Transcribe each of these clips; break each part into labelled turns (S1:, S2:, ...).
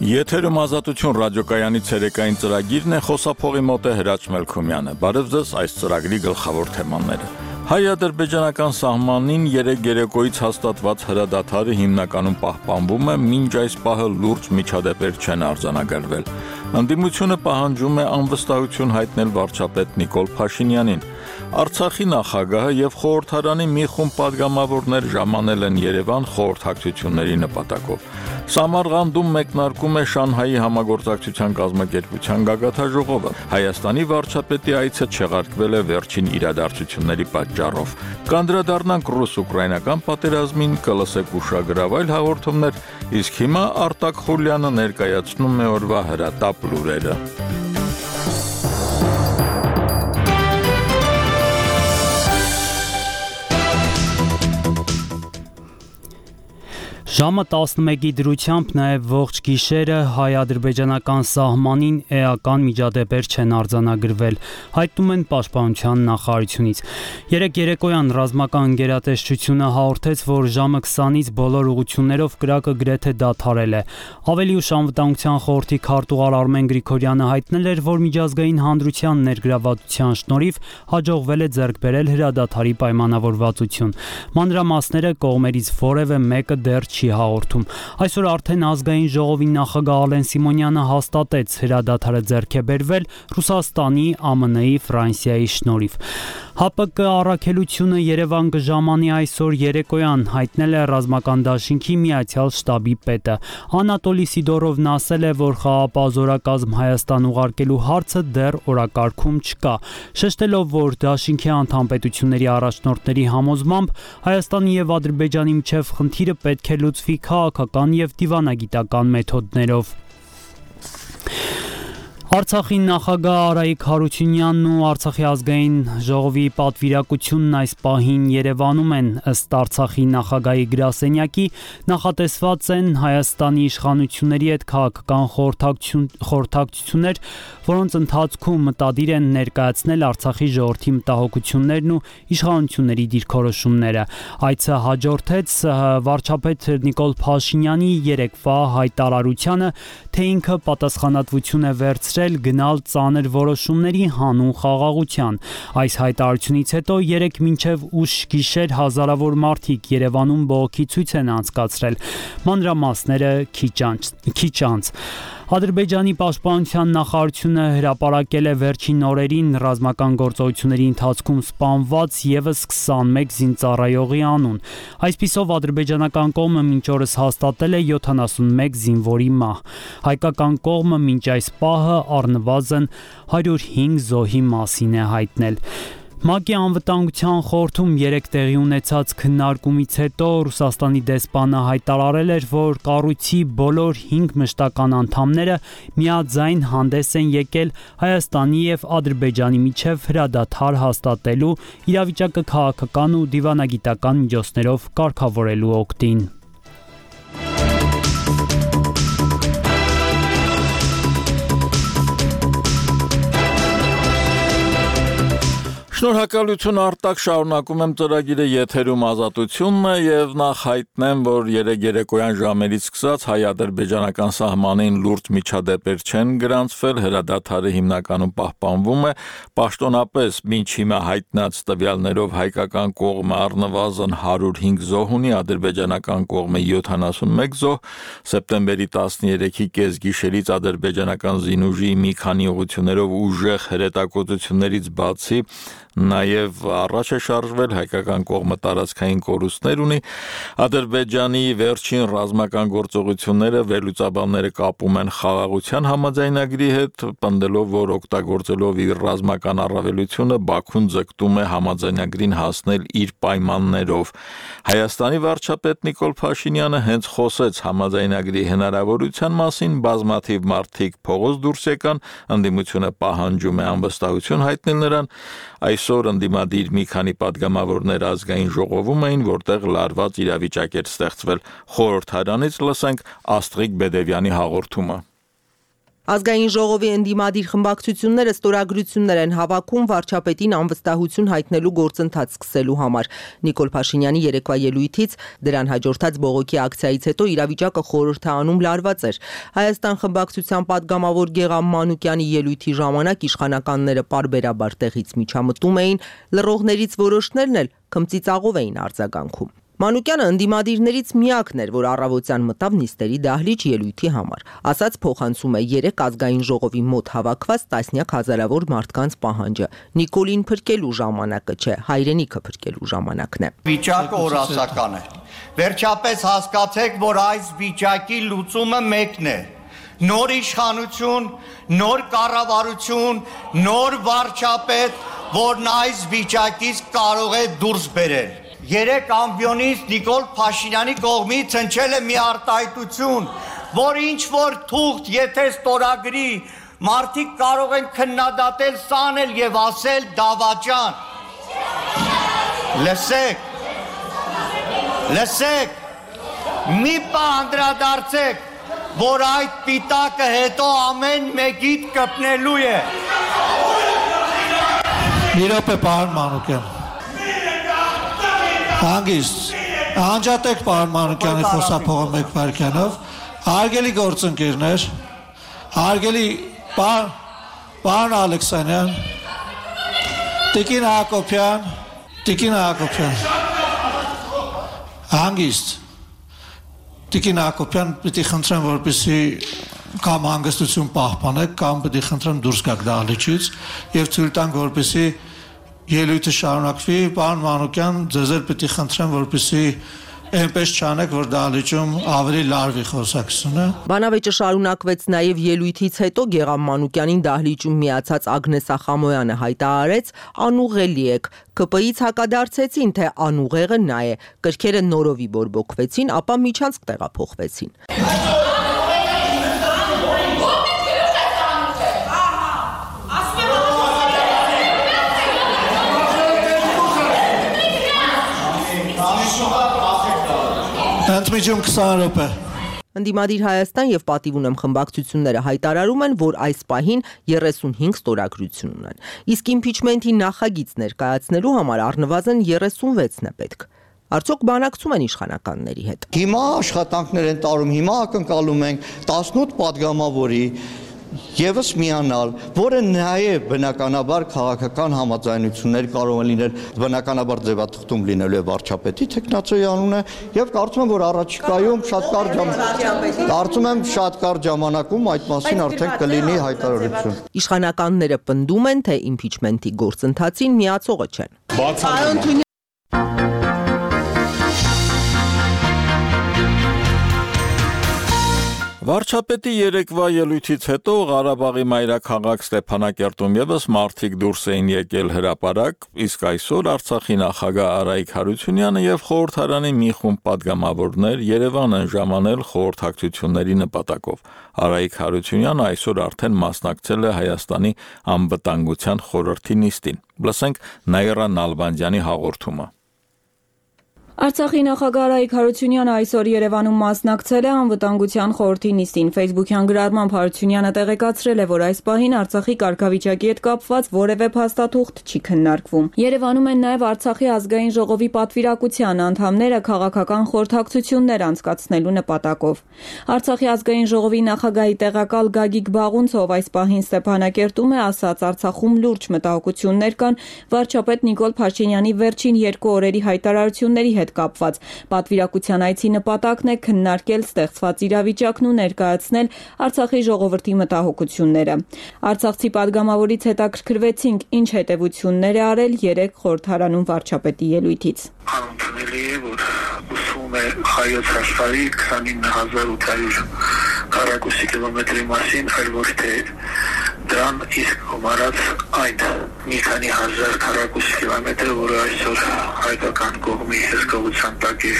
S1: Եթերում Ազատություն ռադիոկայանի ցերեկային ծրագիրն է, խոսափողի մոտ է Հրաչ Մելքումյանը։ Բարև ձեզ, այս ծրագրի գլխավոր թեմաները։ Հայ-ադրբեջանական սահմանին երեկ երեկոյից հաստատված հրադադարը հիմնականում պահպանվում է, մինչ այս պահը լուրջ միջադեպեր չեն արձանագրվել։ Ընդդիմությունը պահանջում է անվստահություն հայտնել վարչապետ Նիկոլ Փաշինյանին։ Արցախի նախագահը եւ խորհրդարանի մի խումբ падգամավորներ ժամանել են Երևան խորհրդակցությունների նպատակով։ Սամարղանդում մեկնարկում է Շանհայի համագործակցության կազմակերպության գագաթաժողովը։ Հայաստանի վարչապետի այցը չեղարկվել է վերջին իրադարձությունների պատճառով։ Կանդրադառնանք ռուս-ուկրաինական պատերազմին, կլսեք ուշագրավ այլ հաղորդումներ, իսկ հիմա Արտակ Խուլյանը ներկայացնում է օրվա հրատապ լուրերը։
S2: Ժամը 11-ի դրությամբ նաև ողջ գիշերը հայ-ադրբեջանական սահմանին էական միջադեպեր չեն արձանագրվել, հայտնում են Պաշտպանության նախարարությունից։ Երեկ երեկոյան ռազմական գերատեսչությունը հաղորդեց, որ ժամը 20-ից բոլոր ուղղություններով կրակը գրեթե դադարել է։ Ավելի ուշ Անվտանգության խորհրդի քարտուղար Արմեն Գրիգորյանը հայտնել էր, որ միջազգային հանրության ներգրավվածության շնորհիվ հաջողվել է ձեռք բերել հրադադարի պայմանավորվածություն։ Մանրամասները կողմերից որևէ մեկը դեռ չի հաղորդում։ Այսօր արդեն ազգային ժողովի նախագահ Ալեն Սիմոնյանը հաստատեց հրադադարը ձեռք է բերվել Ռուսաստանի, ԱՄՆ-ի, Ֆրանսիայի շնորհիվ։ ՀԱՊԿ առաքելությունը Երևան կժամանի այսօր երեկոյան, հայտնել է ռազմական դաշինքի Միացյալ շտաբի պետը։ Անատոլի Սիդորովն ասել է, որ խաղաղապահ զորակազմ Հայաստան ուղարկելու հարցը դեռ օրակարգում չկա, շեշտելով, որ դաշինքի անդամ պետությունների առաջնորդների համոզմամբ Հայաստանի եւ Ադրբեջանի միջև խնդիրը պետք է լուծվի քաղաքական եւ դիվանագիտական մեթոդներով։ Արցախի նախագահ Արայիկ Հարությունյանն ու Արցախի ազգային ժողովի պատվիրակությունն այս պահին Երևանում են, ըստ Արցախի նախագահի գրասենյակի, նախատեսված են Հայաստանի իշխանությունների հետ քաղաքական խորհրդակցություններ, որոնց ընթացքում մտադիր են ներկայացնել Արցախի ժողովրդի մտահոգություններն ու իշխանությունների դիրքորոշումները։ Այցը հաջորդեց վարչապետ Նիկոլ Փաշինյանի երեկվա հայտարարությանը, թե ինքը պատասխանատվություն է վերցրել գնալ ծանր որոշումների հանուն խաղաղության։ Այս հայտարարությունից հետո երեկ մինչև ուշ գիշեր հազարավոր մարդիկ Երևանում բողոքի ցույց են անցկացրել։ Մանրամասները քիչ անց։ Ադրբեջանի պաշտպանության նախարարությունը հրապարակել է վերջին օրերին ռազմական գործողությունների ընթացքում սպանված ևս 21 զինծառայողի անուն։ Այսպիսով ադրբեջանական կողմը մինչ օրս հաստատել է 71 զինվորի մահ։ Հայկական կողմը մինչ այս պահը առնվազն 105 զոհի մասին է հայտնել։ ՄԱԿ-ի անվտանգության խորհրդում երեկ տեղի ունեցած քննարկումից հետո Ռուսաստանի դեսպանը հայտարարել էր, որ կառույցի բոլոր 5 մշտական անդամները միաձայն հանդես են եկել Հայաստանի եւ Ադրբեջանի միջև հրադադար հաստատելու, իրավիճակը քաղաքական ու դիվանագիտական միջոցներով կարգավորելու օգտին։
S1: Շնորհակալություն Արտակ, շարունակում եմ ծրագիրը, եթերում Ազատությունն է եւ նախ հայտնեմ, որ երեկ երեկոյան ժամերից սկսած հայ-ադրբեջանական սահմանին լուրջ միջադեպեր չեն գրանցվել, հրադադարը հիմնականում պահպանվում է, պաշտոնապես մինչ հիմա հայտնած տվյալներով հայկական կողմը առնվազն 105 զոհ ունի, ադրբեջանական կողմը 71 զոհ, սեպտեմբերի 13-ի կեսգիշերից ադրբեջանական զինուժի մի քանի ուղղություններով ուժեղ հրետակոծություններից բացի նաև առաջ է շարժվել, հայկական կողմը տարածքային կորուստներ ունի, Ադրբեջանի վերջին ռազմական գործողությունները վերլուծաբանները կապում են խաղաղության համաձայնագրի հետ, պնդելով, որ օգտագործելով իր ռազմական առավելությունը Բաքուն ձգտում է համաձայնագրին հասնել իր պայմաններով։ Հայաստանի վարչապետ Նիկոլ Փաշինյանը հենց խոսեց համաձայնագրի հնարավորության մասին, բազմաթիվ մարդիկ փողոց դուրս եկան, ընդդիմությունը պահանջում է անվստահություն հայտնել նրան, այսօր ընդդիմադիր մի քանի падգամավորներ ազգային ժողովում էին, որտեղ լարված իրավիճակ էր ստեղծվել։ Խորհրդարանից լսենք Աստղիկ Բեդևյանի հաղորդումը։
S3: Ազգային ժողովի ընդդիմադիր խմբակցությունները ստորագրություններ են հավաքում վարչապետին անվստահություն հայտնելու գործընթաց սկսելու համար։ Նիկոլ Փաշինյանի երեկվա ելույթից դրան հաջորդած բողոքի ակցիայից հետո իրավիճակը խորհրդանում լարված էր։ Հայաստան խմբակցության падգամավոր Գեգամ Մանուկյանի ելույթի ժամանակ իշխանականները պարբերաբար տեղից միջամտում էին, լռողներից որոշներն էլ քմծիծաղով էին արձագանքում։ Մանուկյանը ընդդիմադիրներից միակն էր, որ առավոտյան մտավ նիստերի դահլիճ ելույթի համար։ Ասաց փոխանցում է 3 ազգային ժողովի մոտ հավաքված տասնյակ հազարավոր մարդկանց պահանջը։ Նիկոլին փրկելու ժամանակը չէ, հայրենիքը փրկելու ժամանակն է։
S4: Վիճակը օրասական է։ Վերջապես հասկացեք, որ այս վիճակի լուծումը մեկն է։ Նոր իշխանություն, նոր կառավարություն, նոր վարչապետ, որն այս վիճակից կարող է դուրս բերել։ 3 ամբիոնից Նիկոլ Փաշինյանի կողմից հնչել է մի արտահայտություն, որ ինչ որ թուղթ եթե ստորագրի, մարդիկ կարող են քննադատել, սանել եւ ասել դավաճան։ Լսեք, մի պահ անդրադարձեք, որ այդ պիտակը հետո ամեն մեկիդ կպնելու է։
S5: Մի րոպե, պարոն Մանուկյան։ Հանգիստ, անջատեք պարոն Մանուկյանի խոսափողը մեկ վայրկյանով, հարգելի գործընկերներ, հարգելի պարոն Ալեքսանյան, Տիկին Հակոբյան, հանգիստ, Տիկին Հակոբյան, պիտի խնդրեմ, որպեսզի կամ հանգստություն պահպանեք, կամ պիտի խնդրեմ դուրս գաք դահլիճից եւ թույլ տանք, որպեսզի ելույթը շարունակվի, պարոն Մանուկյան, ձեզ էլ պիտի խնդրեմ, որպեսզի այնպես չանեք, որ դահլիճում ավելի լարվի խոսակցությունը։
S3: Բանավեճը շարունակվեց նաև ելույթից հետո Գեգամ Մանուկյանին դահլիճում միացած Ագնես Ախամոյանը հայտարարեց. անուղելի եք, ԿՊ-ից հակադարձեցին, թե անուղեղը նա է, կրքերը նորովի բորբոքվեցին, ապա միջանցք տեղափոխվեցին։
S5: Ընդմիջում 20 րոպե։
S3: Ընդդիմադիր Հայաստան եւ Պատիվ ունեմ խմբակցությունները հայտարարում են, որ այս պահին 35 ստորագրություն ունեն։ Իսկ իմպիչմենթի նախագիծ ներկայացնելու համար առնվազն 36-ն է պետք։ Արդյոք բանակցում են իշխանականների հետ։
S4: Հիմա աշխատանքներ են տարում, հիմա ակնկալում ենք 18 падգամավորի Եվս միանալ, որը նաև բնականաբար քաղաքական համաձայնություններ կարող են լինել, բնականաբար ձևաթղթում լինելու է վարչապետի տեխնացիայի անունը եւ կարծում եմ, որ առաջիկայում շատ կարճ ժամանակում այդ մասին արդեն կլինի հայտարարություն։
S3: Իշխանականները պնդում են, թե իմպիչմենթի գործընթացին միացողը չեն։
S1: Վարչապետի երեկվա ելույթից հետո Ղարաբաղի մայրաքաղաք Ստեփանակերտում եւս մարդիկ դուրս էին եկել հրապարակ, իսկ այսօր Արցախի նախագահ Արայիկ Հարությունյանը եւ խորհրդարանի մի խումբ падգամավորներ Երևան են ժամանել խորհրդակցությունների նպատակով։ Արայիկ Հարությունյանը այսօր արդեն մասնակցել է Հայաստանի անվտանգության խորհրդի նիստին։ Լսենք Նաիրա Նալբանդյանի հաղորդումը։
S6: Արցախի նախագահ Արայիկ Հարությունյանը այսօր Երևանում մասնակցել է անվտանգության խորհրդի նիստին։ Ֆեյսբուքյան գրառմամբ Հարությունյանը տեղեկացրել է, որ այս պահին Արցախի կարգավիճակի հետ կապված որևէ փաստաթուղթ չի քննարկվում։ Երևանում են նաև Արցախի ազգային ժողովի պատվիրակության անդամները քաղաքական խորհրդակցություններ անցկացնելու նպատակով։ Արցախի ազգային ժողովի նախագահի տեղակալ Գագիկ Բաղունցով այս պահին Ստեփանակերտում է ասաց, Արցախում լուրջ մտահոգություններ կան վարչապետ Նիկոլ Փաշինյանի վերջին 2 օրերի հայտարարությունների հետ կապված։ Պատվիրակության այցի նպատակն է քննարկել ստեղծված իրավիճակն ու ներկայացնել Արցախի ժողովրդի մտահոգությունները։ Արցախցի падգամավորից հետաքրքրվեցինք, ինչ հետևություններ է արել 3 խորհրդարանում վարչապետի ելույթից։
S7: Անընդունելի է, որ ուսում է հայոց աշխարհի 29800 քառակուսի կիլոմետրի մասին, այլ ոչ թե դրան իսկ գումարած այդ մի քանի հազար քառակուսի կիլոմետրը, որը այսօր հայկական կողմի հսկողության տակ է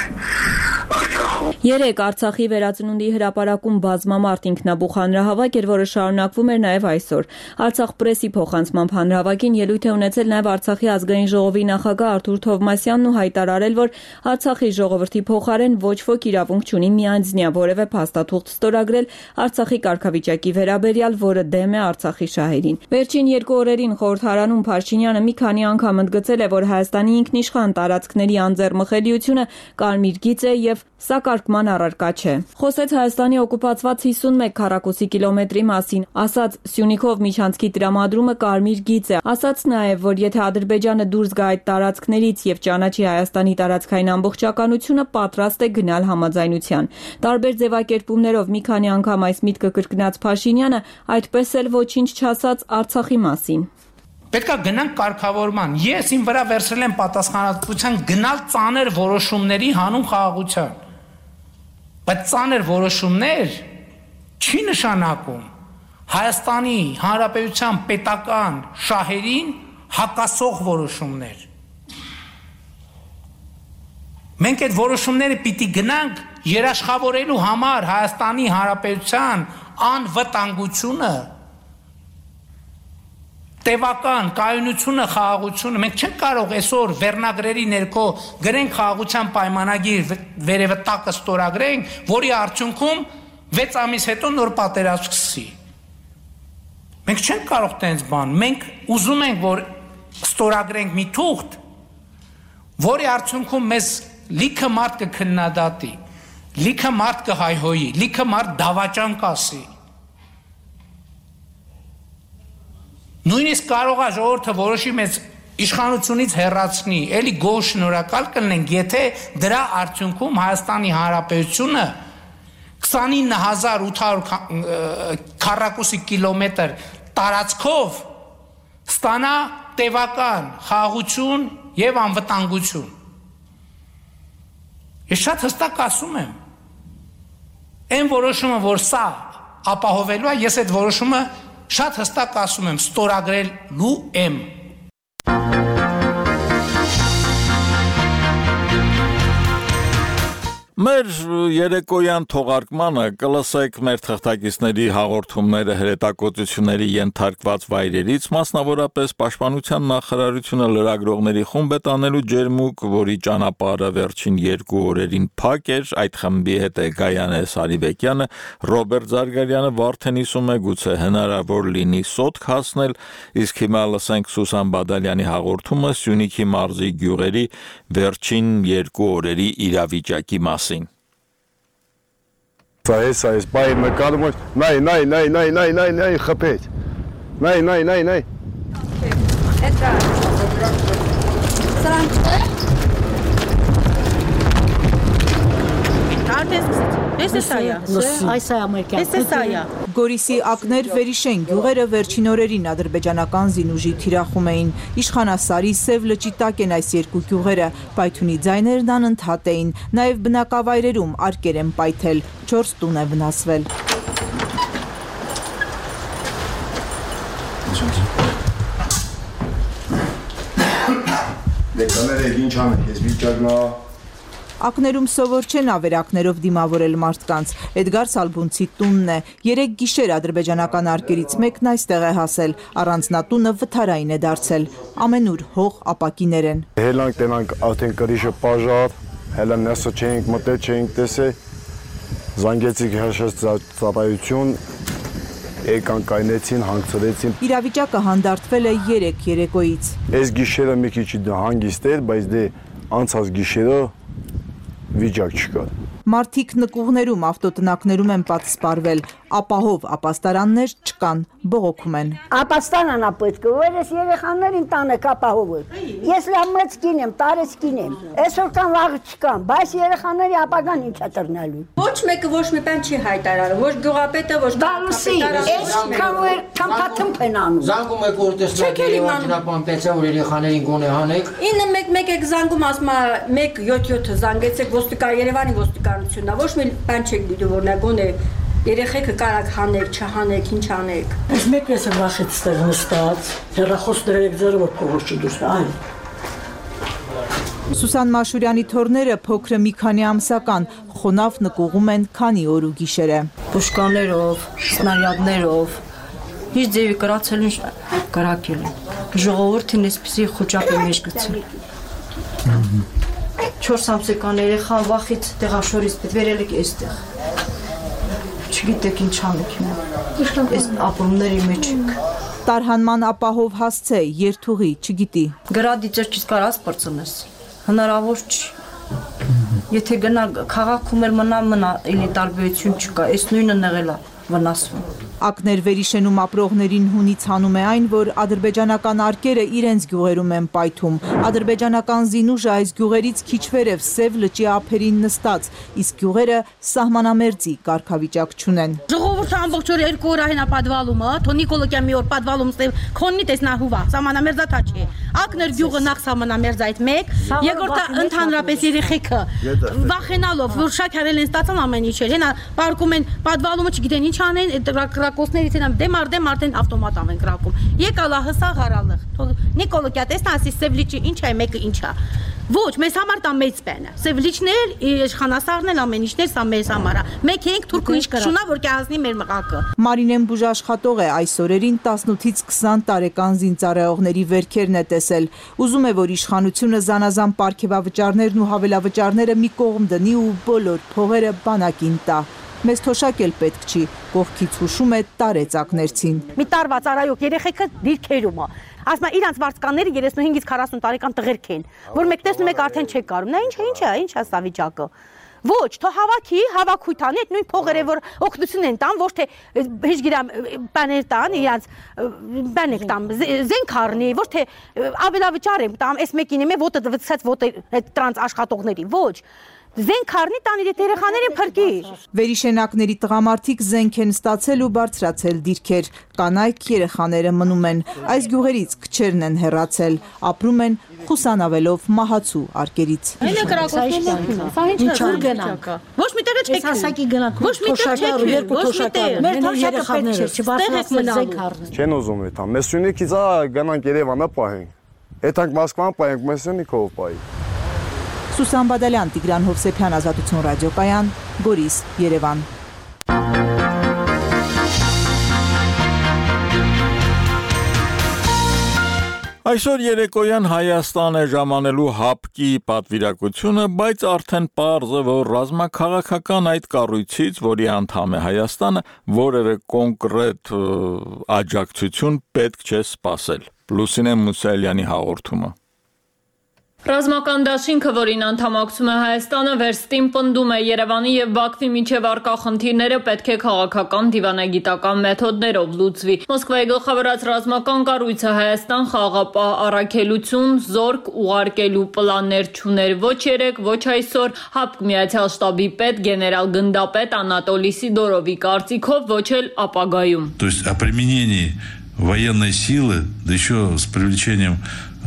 S7: Արցախում Արցախում։
S6: Երեք Արցախի վերածնունդի հրապարակում բազմամարդ ինքնաբուխ հանրահավաք էր, որը շարունակվում էր նաև այսօր։ Արցախ պրեսի փոխանցմամբ հանրահավաքին ելույթ է ունեցել նաև Արցախի ազգային ժողովի նախագահ Արթուր Թովմասյանն ու հայտարարել, որ Արցախի ժողովրդի փոխարեն ոչ ոք իրավունք չունի միանձնյա որևէ փաստաթուղթ ստորագրել Արցախի կարգավիճակի վերաբերյալ, որը դեմ է Արցախի շահերին։ Վերջին 2 օրերին խորհրդարանում Փաշինյանը մի քանի անգամ ընդգծել է, որ Հայաստանի ինքնիշխան տարածքների անձեռմխելիությունը կարմիր գիծ է եւ սա կարգման առարկա չէ։ Խոսեց Հայաստանի օկուպացված 51 քառակուսի կիլոմետրի մասին, ասաց Սյունիքով միջանցքի տրամադրումը կարմիր գիծ է, ասաց նաև, որ եթե Ադրբեջանը դուրս գա այդ տարածքներից եւ ճանաչի Հայաստանի տարածքային ամբողջականությունը, պատրաստ է գնալ համաձայնության։ Տարբեր ձևակերպումներով մի քանի անգամ այս միտքը կրկնած Փաշինյանը այդպես էլ ոչինչ չասաց Արցախի մասին։
S8: Պետք է գնանք կարգավորման։ Ես իմ վրա վերցրել եմ պատասխանատվության գնալ ծանր որոշումների հանուն խաղաղության։ Բայց ծանր որոշումներ չի նշանակում Հայաստանի Հանրապետության պետական շահերին հակասող որոշումներ։ Մենք այդ որոշումները պիտի գնանք երաշխավորելու համար Հայաստանի Հանրապետության անվտանգությունը, տևական կայունությունը, խաղաղությունը։ Մենք չենք կարող այսօր վերնագրերի ներքո գրենք խաղաղության պայմանագիր, վերևը տակը ստորագրենք, որի արդյունքում 6 ամիս հետո նոր պատերազմ սկսի։ Մենք չենք կարող տենց բան։ Մենք ուզում ենք, որ ստորագրենք մի թուղթ, որի արդյունքում մեզ լիքը մարդ կքննադատի, լիքը մարդ կհայհոյի, լիքը մարդ դավաճան կասի։ Նույնիսկ կարող է ժողովուրդը որոշի մեզ իշխանությունից հեռացնի, էլի գոհ շնորհակալ կլինենք, եթե դրա արդյունքում Հայաստանի Հանրապետությունը 29800 քառակուսի կիլոմետր տարածքով ստանա տևական խաղաղություն եւ անվտանգություն։ Ես շատ հստակ ասում եմ, այն որոշումը, որ սա ապահովելու է, ես այդ որոշումը շատ հստակ ասում եմ, ստորագրելու եմ։
S1: Մեր երեկոյան թողարկմանը կլսեք մեր թղթակիցների հաղորդումները հրետակոծությունների ենթարկված վայրերից, մասնավորապես Պաշտպանության նախարարությունը լրագրողների խումբ է տանելու ջերմուկ, որի ճանապարհը վերջին 2 օրերին փակ էր, այդ խմբի հետ է Գայանե Սարիբեկյանը, Ռոբերտ Զարգարյանը Վարդենիսում է, գուցե հնարավոր լինի սոտք հասնել, իսկ հիմա լսենք Սուսան Բադալյանի հաղորդումը Սյունիքի մարզի գյուղերի վերջին 2 օրերի իրավիճակի մասին։
S9: Այս բայ նկարում է, նայ, խփեց, նայ։
S10: Это...
S11: Գորիսի ակներ վերիշեն գյուղերը վերջին օրերին ադրբեջանական զինուժի թիրախում էին։ Իշխանասարի Սև լճի տակ են այս երկու գյուղերը, պայթյունի ձայներն անընդհատ էին, նաև բնակավայրերում արկեր են պայթել, 4 տուն է վնասվել։
S9: Դեկաները ինչ անեք, ես վիճակնա
S11: Ակներում սովոր չեն ավերակներով դիմավորել մարդկանց, Էդգար Սալբունցի տունն է, 3 գիշեր ադրբեջանական արկերից մեկն այստեղ է հասել, առանձնատունը վթարային է դարձել, ամենուր հող ապակիներ են։
S9: Հելանք տենանք արդեն կրիշը պաժար, հելան նեսը չենք մտել, չենք տեսել, զանգեցիք հաշած ծառայություն, եկան կայնեցին, հանգցրեցին։
S11: Իրավիճակը հանդարտվել է 3 երեկոյից։
S9: Այս գիշերը մի քիչ հանգիստ էր, բայց դե անցած գիշերը վիճակ չկար։
S11: Մարդիկ նկուղներում, ավտոտնակներում են պատսպարվել, ապահով ապաստարաններ չկան, բողոքում են։
S10: Ապաստանան ապետք, որ ես երեխաներին տանեք ապահովը։ Ես լավ մեծ կին եմ, տարեց կին եմ։ Այսօր կան վաղը չկան, բայց երեխաների ապագան ինչ է տրնալու։
S12: Ոչ մեկը ոչ մի բան չի հայտարարում, ոչ գյուղապետը, ոչ
S10: քամփաթմփ են անում։
S13: Զանգում եք որ տեսնեք ճանապարհը որ երեխաներին գոնե հանեք։
S12: 911 եք զանգում, ասում է 177-ը զանգեցեք ոստիկան Երևանի ոստիկանությունն, ոչ մի բան չեք դիտում որ նա գոնե երեխեքը կարակ հանեք, չհանեք, ինչ անեք։
S10: Ես մեկ ես վախից ստեղ նստած, հեռախոս դրեք ձերը որ փողոց չդուրս, այ։
S11: Սուսան Մաշուրյանի թորները փոքրը մի քանի ամսական խոնավ նկուղում են քանի օր ու գիշերը։
S12: Պուշկաներով, սնարյադներով, իր ձևի կրացել են կրակել են։ Ժողովուրդին այսպիսի խոճապ է մեջ գցել։ 4 ամսական երեխան վախից տեղաշորից վերել եք այստեղ։ Չգիտեք ինչ անեք հիմա։ Այս ապրումների մեջ եք։
S11: Տարհանման ապահով հասցե, երթուղի, չգիտի։
S12: Գրադի ճրճից կարաս պրծնես, հնարավոր չի։ Եթե գնա քաղաքում էլ մնա, էլի տարբերություն չկա, այս նույնը նեղել է վնասվում։
S11: Ակներ վերիշենում ապրողներին հունից հանում է այն, որ ադրբեջանական արկերը իրենց գյուղերում են պայթում։ Ադրբեջանական զինուժը այս գյուղերից քիչ վերև Սև լճի ափերին նստած, իսկ գյուղերը սահմանամերձի կարգավիճակ չունեն։
S14: Ժողովուրդը ամբողջ օրը 2 օր այնա պատվալումը, թո Նիկոլոկյան մի օր պատվալում ստել քոննի տեսնահուվա, սահմանամերձա չի։ Ակներ գյուղը նախ սահմանամերձ այդ մեկ, երկրորդը ընդհանրապես երեխեքը վախենալով, որ շաքարել են ստացան ամեն ինչ էր, հենա պարկում են պատվալումը չգիտեն ինչ անեն, կրակոցներից են դեմ արդեն ավտոմատ են կրակում։ Եկալա հսա գարալը։ Նիկոլոկյա տեսնա ասի Սև լիճի ինչ է, մեկը ինչ է։ Ոչ, մեզ համար դա մեծ բան է։ Սև լիճներ, իշխանասարն էլ ամեն ինչներ, սա մեզ համար է։ Մեկ ենք թուրքը ինչ կշունա, որ կհասնի մեր մղակը։
S11: Մարինեն բուժաշխատող է, այս օրերին 18-ից 20 տարեկան զինծառայողների վերքերն է տեսել։ Ուզում է, որ իշխանությունը զանազան պարգևավճարներն ու հավելավճարները մի կողմ դնի ու բոլոր փողերը բանակին տա։ Մեզ թոշակ էլ պետք չի, կողքից հուշում է տարեցակներցին։
S14: Մի տարվա ծառայող երեխեքը դիրքերում է։ Ասում է իրանց վարձկանները 35-ից 40 տարեկան տղերք են, որ մեկ տեսնում եք արդեն չեք կարում։ Նա ինչ է սա վիճակը։ Ոչ, թո հավաքույթ անի, այդ նույն փողերը, որ օգնություն են տան, ոչ թե հեշգիրամ բաներ տան, իրանց բաներ տան, զենք առնի, ոչ թե ավելավճար եմ տամ, այս մեկին եմ ոտը դվցած ոտը տրանս աշխատողների, ոչ։ Զենք առնի տան իր երեխաներին փրկի։
S11: Վերիշենակների տղամարդիկ զենք են ստացել ու բարձրացել դիրքեր, կանայք երեխաները մնում են, այս գյուղերից քչերն են հեռացել, ապրում են խուսանավելով մահացու արկերից։
S14: Այն է կրակոցներն, սա ինչ գնանք։ Ոչ մի տեղ չեք հասակի գնանք, ոչ մի տեղ չեք, երկու թոշակը, մեր թոշակը պետք չէ, չբարձրացնեք զենք առնեն։
S9: Չեն ուզում այդ, մեզ Սյունիքից գնանք Երևանը պահենք։ Եթանք Մոսկվան պահենք, մեզ Սյունիքով պահի։
S11: Սուսան Բադալյան, Տիգրան Հովսեփյան, Ազատություն ռադիոկայան, Գորիս, Երևան։
S1: Այսօր երեկոյան Հայաստան է ժամանելու հապկի պատվիրակությունը, բայց արդեն պարզ է, որ ռազմաքաղաքական այդ կառույցից, որի անդամ է Հայաստանը, որևէ կոնկրետ աջակցություն պետք չէ սպասել։ Լուսինե Մուսայելյանի հաղորդումը։
S15: Ռազմական դաշինքը, որին անդամակցում է Հայաստանը, վերստին պնդում է Երևանի եւ Բաքվի միջև առկա խնդիրները պետք է քաղաքական դիվանագիտական մեթոդներով լուծվի։ Մոսկվայի գլխավորած ռազմական կառույցը Հայաստան խաղաղապահ առաքելություն, զորք ուղարկելու պլաններ չուներ ոչ երեք, ոչ այսօր։ ՀԱՊԿ Միացյալ շտաբի պետ գեներալ գնդապետ Անատոլի Սիդորովի կարծիքով ոչ էլ ապագայում։
S16: То есть о применении военной силы, да еще с привлечением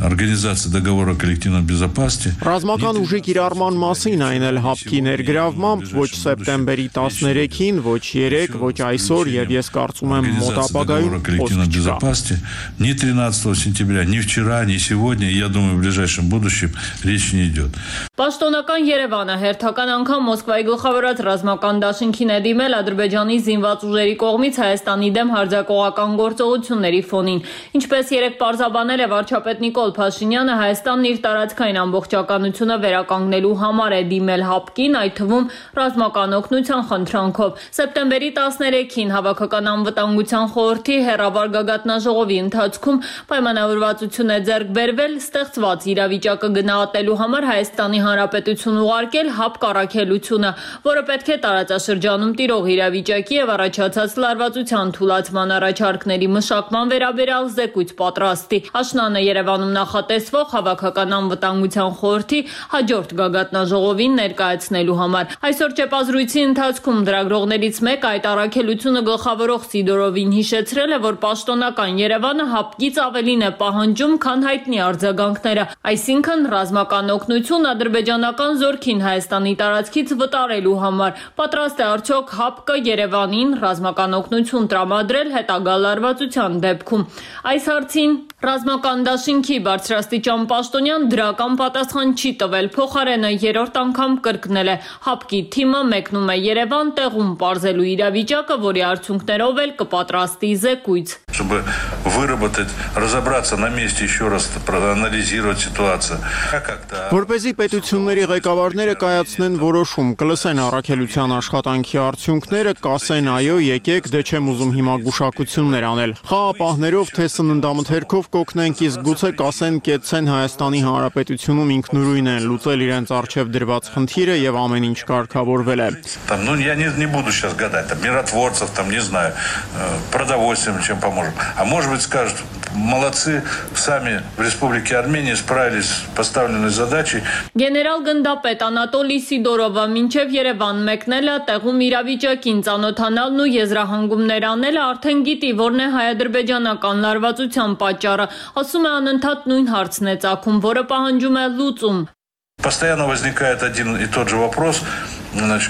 S16: Организация договора коллективной безопасности.
S17: Ռազմական ուժի կիրառման մասին այն էլ ՀԱՊԿ-ի ներգրավմամբ ոչ սեպտեմբերի 13-ին, ոչ 3, ոչ այսօր եւ ես կարծում եմ մոտ ապագայում
S16: коллективной безопасности ни 13 сентября, ни вчера, ни сегодня, и я думаю, в ближайшем будущем речь не идет.
S15: Պաշտոնական Երևանը հերթական անգամ Մոսկվայի գլխավորած ռազմական դաշինքին է դիմել Ադրբեջանի զինված ուժերի կողմից Հայաստանի դեմ հարձակողական գործողությունների ֆոնին։ Ինչպես երեք պարզաբանել է վարչապետ Նիկոլ Փաշինյանը, Հայաստանն իր տարածքային ամբողջականությունը վերականգնելու համար է դիմել ՀԱՊԿ-ին, այդ թվում ռազմական օգնության խնդրանքով։ Սեպտեմբերի 13-ին Հավաքական անվտանգության խորհրդի հեռավար գագաթնաժողովի ընթացքում պայմանավորվածություն է ձեռք բերվել ստեղծված իրավիճակը գնահատելու համար Հայաստանի Հանրապետություն ուղարկել ՀԱՊԿ առաքելությունը, որը պետք է տարածաշրջանում տիրող իրավիճակի եւ առաջացած լարվածության թուլացման առաջարկների մշակման վերաբերյալ զեկույց պատրաստի։ Աշնանը Երևանում նախատեսվող Հավաքական անվտանգության խորհրդի հաջորդ գագաթնաժողովին ներկայացնելու համար։ Այսօր ճեպազրույցի ընթացքում լրագրողներից մեկը այդ առաքելությունը գլխավորող Սիդորովին հիշեցրել է, որ պաշտոնական Երևանը ՀԱՊԿ-ից ավելին է պահանջում, քան հայտնի արձագանքները, այսինքն ռազմական օգնություն ադրբեջանական զորքին Հայաստանի տարածքից վտարելու համար։ Պատրաստ է արդյոք ՀԱՊԿ-ը Երևանին ռազմական օգնություն տրամադրել հետագա լարվածության դեպքում։ Այս հարցին ռազմական դաշինքի բարձրաստիճան պաշտոնյան դրական պատասխան չի տվել, փոխարենը երրորդ անգամ կրկնել է. ՀԱՊԿ-ի թիմը մեկնում է Երևան տեղում պարզելու իրավիճակը, որի արդյունքներով էլ կպատրաստի զեկույց.
S16: Чтобы выработать, разобраться на месте, еще раз проанализировать ситуацию.
S17: Որպեսզի պետությունների ղեկավարները կայացնեն որոշում, կլսեն առաքելության աշխատանքի արդյունքները, կասեն այո, եկեք, դե չեմ ուզում հիմա գուշակություններ անել։ Խաղապահներով թե սննդամթերքով կօգնենք, իսկ գուցե կասեն կեցցեն Հայաստանի Հանրապետությունում ինքնուրույն են լուծել իրենց առջև դրված խնդիրը եւ ամեն ինչ կարգավորվել է։
S16: Там, ну, я не буду сейчас гадать, там, миротворцев, там, не знаю, продовольствием чем поможем. А может быть скажут, молодцы, сами в Республике Армения справились с поставленной задачей.
S15: Գեներալ գնդապետ Անատոլի Սիդորովը մինչև Երևան մեկնելը, տեղում իրավիճակին ծանոթանալն ու եզրահանգումներ անելը արդեն գիտի, որն է հայ-ադրբեջանական լարվածության պատճառը, ասում է անընդհատ նույն հարցն է ծագում, որը պահանջում է լուծում.
S16: Постоянно возникает один и тот же вопрос,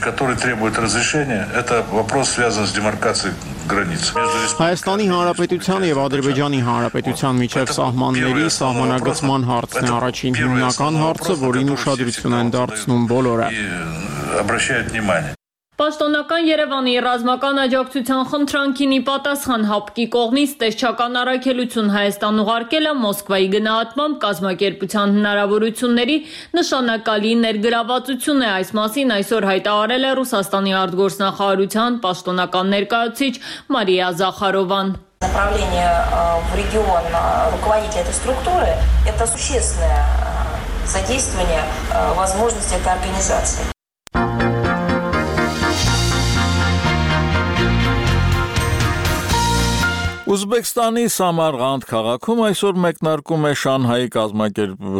S16: который требует разрешения. Это вопрос связан с демаркацией границ.
S17: Հայաստանի Հանրապետության եւ Ադրբեջանի Հանրապետության միջև սահմանների սահմանագծման հարցն է առաջին հիմնական հարցը, որին ուշադրություն են դարձնում բոլորը։
S16: Обращают внимание.
S15: Պաշտոնական Երևանի ռազմական աջակցության խնդրանքին ի պատասխան ՀԱՊԿ-ի կողմից տեսչական առաքելություն Հայաստան ուղարկելը Մոսկվայի գնահատմամբ կազմակերպության հնարավորությունների նշանակալի ներգրավվածություն է, այս մասին այսօր հայտարարել է Ռուսաստանի արտգործնախարարության պաշտոնական ներկայացուցիչ Մարիա Զախարովան.
S18: Направление в регион руководителя этой структуры – это существенное задействование возможностей этой организации.
S1: Ուզբեկստանի Սամարղանդ քաղաքում այսօր մեկնարկում է Շանհայի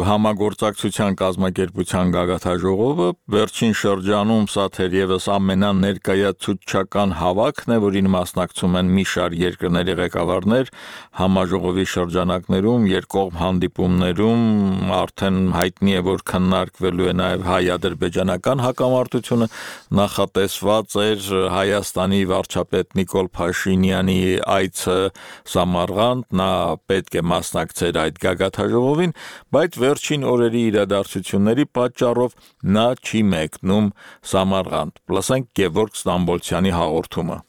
S1: համագործակցության կազմակերպության գագաթաժողովը, վերջին շրջանում սա թերևս ամենաներկայացուցչական հավաքն է, որին մասնակցում են մի շարք երկրների ղեկավարներ, համաժողովի շրջանակներում, երկկողմ հանդիպումներում արդեն հայտնի է, որ քննարկվելու է նաև հայ-ադրբեջանական հակամարտությունը, նախատեսված էր Հայաստանի վարչապետ Նիկոլ Փաշինյանի այցը Սամարղանդ, նա պետք է մասնակցեր այդ գագաթաժողովին, բայց վերջին օրերի իրադարձությունների պատճառով նա չի մեկնում Սամարղանդ։ Լսենք Գևորգ Ստամբոլցյանի հաղորդումը։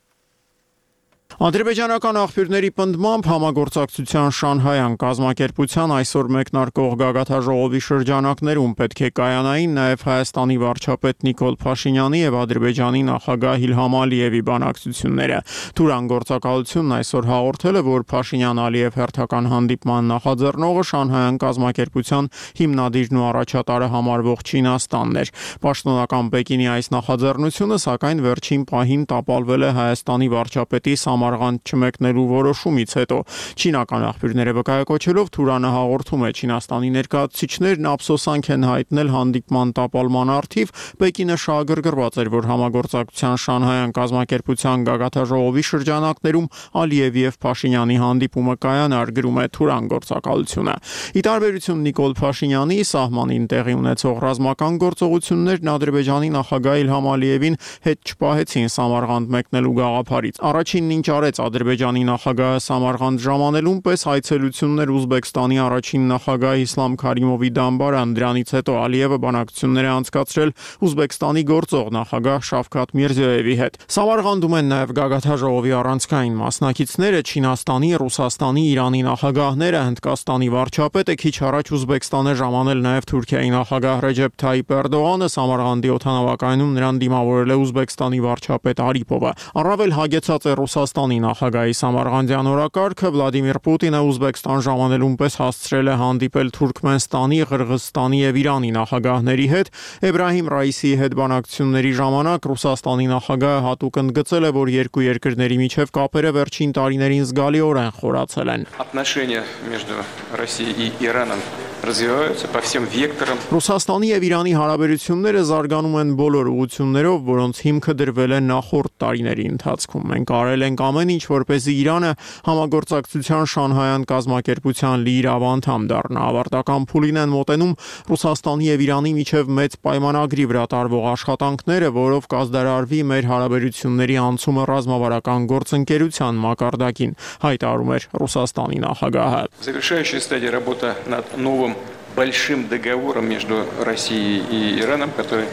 S17: Ադրբեջանական աղբյուրների պնդմամբ համագործակցության Շանհայյան կազմակերպության այսօր մեկնարկող գագաթաժողովի շրջանակներում պետք է կայանային նաև Հայաստանի վարչապետ Նիկոլ Փաշինյանի եւ Ադրբեջանի նախագահ Իլհամ Ալիևի բանակցությունները։ Թուրան գործակալությունն այսօր հաղորդել է, որ Փաշինյան-Ալիև հերթական հանդիպման նախաձեռնողը Շանհայյան կազմակերպության հիմնադիրն ու առաջատարը համարվող Չինաստանն էր։ Պաշտոնական Պեկինի այս նախաձեռնությունը սակայն վերջին պահին տապալվել է Հայաստանի վարչապետի Սամարղանդ չմեկնելու որոշումից հետո չինական աղբյուրները վկայակոչելով Թուրանը հաղորդում է Չինաստանի ներկայացուցիչներն ափսոսանք են հայտնել հանդիպման տապալման առթիվ, Պեկինը շահագրգռված էր, որ համագործակցության Շանհայյան կազմակերպության գագաթաժողովի շրջանակներում Ալիևի եւ Փաշինյանի հանդիպումը կայանար, գրում է Թուրան գործակալությունը։ Ի տարբերություն Նիկոլ Փաշինյանի սահմանին տեղի ունեցող ռազմական գործողություններն Ադրբեջանի նախագահ Իլհամ Ալիևին հետ չպահեցին Սամարղանդ մեկնելու գաղափարից։ Առաջինն ինչ արեց Ադրբեջանի նախագահը Սամարղանդ ժամանելուն պես այցելություններ Ուզբեկստանի առաջին նախագահ Իսլամ Քարիմովի դամբարան, դրանից հետո Ալիևը բանակցություններ է անցկացրել Ուզբեկստանի գործող նախագահ Շավքաթ Միրզոևի հետ։ Սամարղանդում են նաև գագաթաժողովի առանցքային մասնակիցները Չինաստանի, Ռուսաստանի, Իրանի նախագահները, Հնդկաստանի վարչապետը, քիչ առաջ Ուզբեկստան է ժամանել նաև Թուրքիայի նախագահ Ռեջեփ Թայիփ Էրդողանը, Սամարղանդի օդանավակայանում նրան դիմավորել է Ուզբեկստանի վարչապետ Արիպովը։ Առավել հագեցած է Ռուսաստանի նախագահի Սամարղանդյան օրակարգը, Վլադիմիր Պուտինը Ուզբեկստան ժամանելուն պես հասցրել է հանդիպել Թուրքմենստանի, Ղրղզստանի եւ Իրանի նախագահների հետ։ Էբրահիմ Ռայիսիի հետ բանակցությունների ժամանակ Ռուսաստանի նախագահը հատուկ ընդգծել է, որ երկու երկրների միջև կապերը վերջին տարիներին զգալիորեն խորացել են։
S19: Отношения между Россией и Ираном развиваются по всем векторам.
S17: Ռուսաստանի եւ Իրանի հարաբերությունները զարգանում են բոլոր ուղղություններով, որոնց հիմքը դրվել է նախորդ տարիների ընթացքում։ Մենք արել ենք ամեն ինչ, որպեսզի Իրանը համագործակցության Շանհայյան կազմակերպության լիիրավ անդամ դառնա։ Ավարտական փուլին են մոտենում Ռուսաստանի եւ Իրանի միջև մեծ պայմանագրի վրա տարվող աշխատանքները, որով կազդարարվի մեր հարաբերությունների անցումը ռազմավարական գործընկերության մակարդակին, հայտարարում էր Ռուսաստանի նախագահը։
S19: Завершающая стадия работа над новым большим договором между Россией и Ираном, который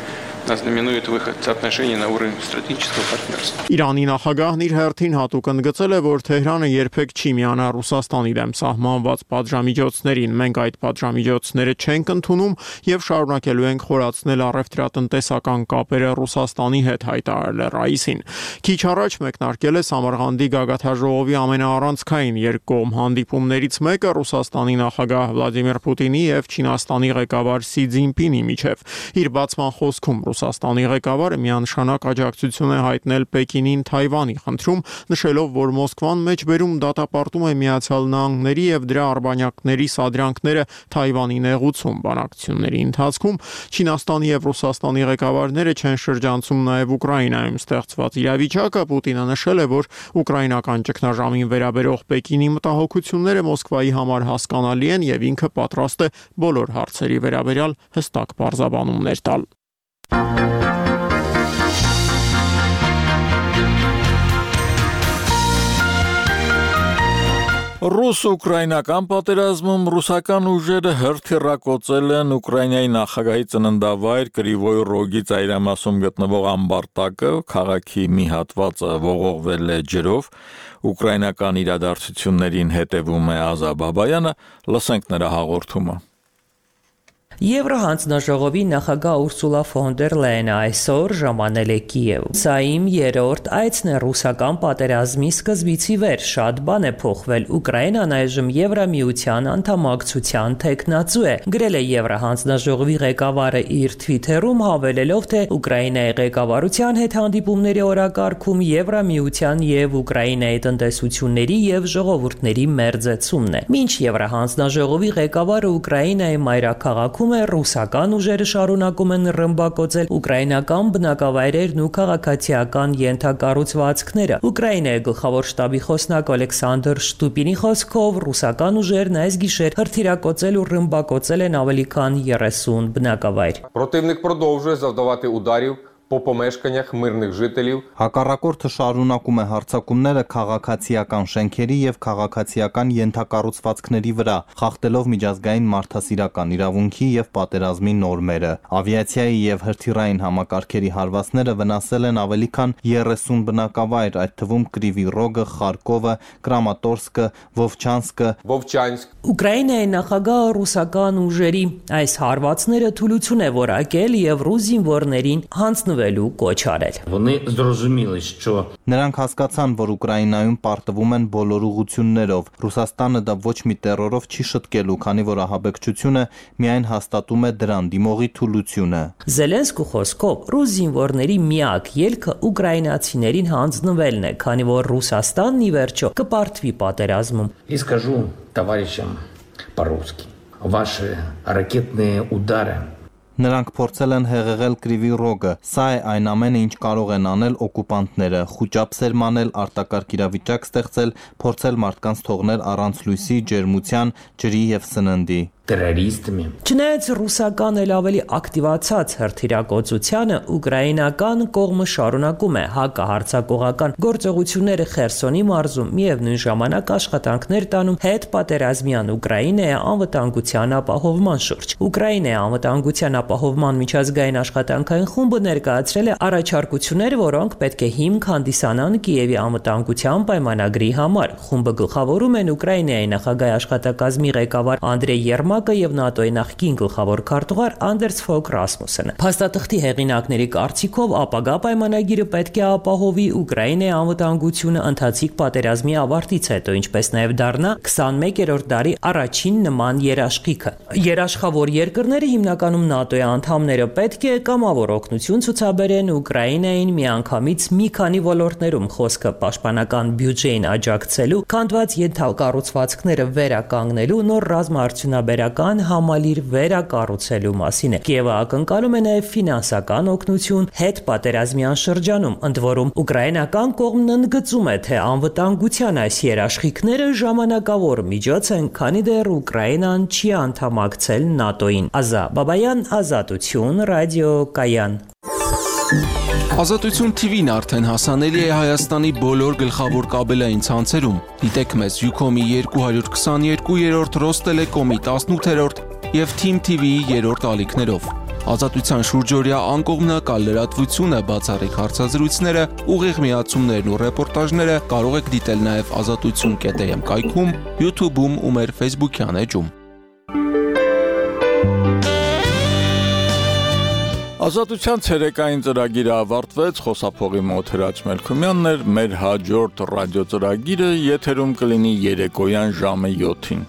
S19: знаменует выход соотношений на уровень стратегического партнерства.
S17: Իրանի նախագահն իր հերթին հատուկ ընդգծել է, որ Թեհրանը երբեք չի միանա Ռուսաստանի դեմ սահմանված պատժամիջոցներին։ Մենք այդ պատժամիջոցները չենք ընդունում եւ շարունակելու ենք խորացնել առևտրատնտեսական կապերը Ռուսաստանի հետ, հայտարարել է Ռայիսին։ Քիչ առաջ մեկնարկել է Սամարղանդի գագաթաժողովի ամենաառանցքային երկկողմ հանդիպումներից մեկը Ռուսաստանի նախագահ Վլադիմիր Պուտինի եւ Չինաստանի ղեկավար Սի Ցզինպինի միջև։ Իր բացման խոսքում Ռուսաստանի ղեկավարը միանշանակ աջակցություն է հայտնել Պեկինին Թայվանի խնդրում, նշելով, որ Մոսկվան մեջբերում դատապարտում է Միացյալ Նահանգների եւ դրա արբանյակների սադրանքները Թայվանի նեղուցում։ Բանակցությունների ընթացքում Չինաստանի եւ Ռուսաստանի ղեկավարները չեն շրջանցում նաեւ Ուկրաինայում ստեղծված իրավիճակը։ Պուտինը նշել է, որ ուկրաինական ճգնաժամին վերաբերող Պեկինի մտահոգությունները Մոսկվայի համար հասկանալի են եւ ինքը պատրաստ է բոլոր հարցերի վերաբերյալ հստակ պարզաբանումներ տալ։
S1: Ռուս-ուկրաինական պատերազմում ռուսական ուժերը հրթիռակոծել են Ուկրաինայի նախագահի ծննդավայր Կրիվոյ Ռոգի ծայրամասում գտնվող ամբարտակը, քաղաքի մի հատվածը ողողվել է ջրով։ Ուկրաինական իրադարձություններին հետևում է Ազա Բաբայանը, լսենք նրա հաղորդումը։
S20: Եվրոհանձնաժողովի նախագահ Ուրսուլա ֆոն դեր Լայենը այսօր ժամանել է Կիև։ Սա իմ երրորդ այցն է ռուսական պատերազմի սկզբից ի վեր։ Շատ բան է փոխվել։ Ուկրաինան այժմ Եվրամիության անդամակցության թեկնածու է, գրել է Եվրոհանձնաժողովի ղեկավարը իր Twitter-ում, հավելելով, թե Ուկրաինայի ղեկավարության հետ հանդիպումների օրակարգում Եվրամիության եւ Ուկրաինայի տնտեսությունների եւ ժողովուրդների մերձեցումն է։ Մինչ Եվրոհանձնաժողովի ղեկավարը Ուկրաինայի մայրաքաղաքում ռուսական ուժերը շարունակում են ռմբակոծել ուկրաինական բնակավայրերն ու քաղաքացիական ենթակառուցվածքները։ Ուկրաինայի գլխավոր շտաբի խոսնակ Ալեքսանդր Շտուպինի խոսքով ռուսական ուժերն այս գիշեր հրթիռակոծել ու ռմբակոծել են ավելի քան 30 բնակավայր։
S21: Противник продовжує завдавати ударів по помешканнях мирних жителів.
S22: Հակառակորդը շարունակում է հարձակումները քաղաքացիական շենքերի եւ քաղաքացիական ենթակառուցվածքների վրա, խախտելով միջազգային մարդասիրական իրավունքի եւ պատերազմի նորմերը։ Ավիացիայի եւ հրթիռային համակարգերի հարվածները վնասել են ավելի քան 30 բնակավայր, այդ թվում Կրիվի Ռոգը, Խարկովը, Կրամատորսկը, Վովչանսկ։
S20: Ուկրաինայի նախագահը ռուսական ուժերի այս հարվածները թուլություն է որակել եւ ռուս զինվորներին հանձնվելու կոչ արել։
S22: Նրանք հասկացան, որ Ուկրաինայում պարտվում են բոլոր ուղղություններով։ Ռուսաստանը դա ոչ մի տերորով չի շտկելու, քանի որ ահաբեկչությունը միայն հաստատում է դրան դիմողի թուլությունը։
S20: Զելենսկու խոսքով ռուս զինվորների միակ ելքը ուկրաինացիներին հանձնվելն է, քանի որ Ռուսաստանն ի վերջո կպարտվի պատերազմում։
S23: И скажу товарищам по-русски: ваши ракетные удары
S22: Նրանք փորձել են հեղեղել Կրիվի Ռոգը։ Սա է այն ամենը, ինչ կարող են անել օկուպանտները՝ խուճապ սերմանել, արտակարգ իրավիճակ ստեղծել, փորձել մարդկանց թողնել առանց լույսի, ջերմության, ջրի եւ սննդի։
S23: террористами.
S20: Չնայած ռուսական էլ ավելի ակտիվացած հրթիռակոծությանը, ուկրաինական կողմը շարունակում է հակահարձակողական գործողությունները Խերսոնի մարզում, միևնույն ժամանակ աշխատանքներ տանում հետ պատերազմյան Ուկրաինայի անվտանգության ապահովման շուրջ։ Ուկրաինայի անվտանգության ապահովման միջազգային աշխատանքային խումբը ներկայացրել է առաջարկություններ, որոնք պետք է հիմք հանդիսանան Կիևի անվտանգության պայմանագրի համար։ Խումբը գլխավորում են Ուկրաինայի նախագահի աշխատակազմի ղեկավար Անդրեյ Երմակը եւ ՆԱՏՕ-ի նախկին գլխավոր քարտուղար Անդերս Ֆոլկ Ռասմուսենը։ Փաստաթղթի հեղինակների կարծիքով ապագա պայմանագիրը պետք է ապահովի Ուկրաինայի անվտանգությունը ընթացիկ պատերազմի ավարտից հետո, ինչպես նաեւ դառնա 21-րդ դարի առաջին նման երաշխիքը։ Երաշխավոր երկրները, հիմնականում ՆԱՏՕ-ի անդամները, պետք է կամավոր օգնություն ցուցաբերեն Ուկրաինային միանգամից մի քանի ոլորտներում, խոսքը պաշտպանական բյուջեին աջակցելու, քանդված ենթակառուցվածքները վերականգնելու, նոր ռազմաարդյունաբերական բարբերական համալիր վերակառուցելու մասին է։ Կիևը ակնկալում է նաև ֆինանսական օգնություն հետպատերազմյան շրջանում, ընդ որում ուկրաինական կողմն ընդգծում է, թե անվտանգության այս երաշխիքները ժամանակավոր միջոց են, քանի դեռ Ուկրաինան չի անդամակցել ՆԱՏՕ-ին։ Ազա Բաբայան, Ազատություն, Ռադիո Կայան։
S2: Ազատություն TV-ն արդեն հասանելի է Հայաստանի բոլոր գլխավոր կաբելային ցանցերում։ Դիտեք մեզ Ucom-ի 222-րդ, Ռոստելեկոմի 18-րդ եւ Team TV-ի 3-րդ ալիքներով։ Ազատության շուրջօրյա անկողմնակալ լրատվությունը, բացառիկ հարցազրույցները, ուղիղ միացումներն ու ռեպորտաժները կարող եք դիտել նաեւ azatutsun.am կայքում, YouTube-ում ու մեր Facebook-յան էջում։
S1: Ազատության ցերեկային ծրագիրը ավարտվեց, խոսափողի մոտ Հրաչ Մելքումյանն էր, մեր հաջորդ ռադիո ծրագիրը եթերում կլինի երեկոյան ժամը 7-ին։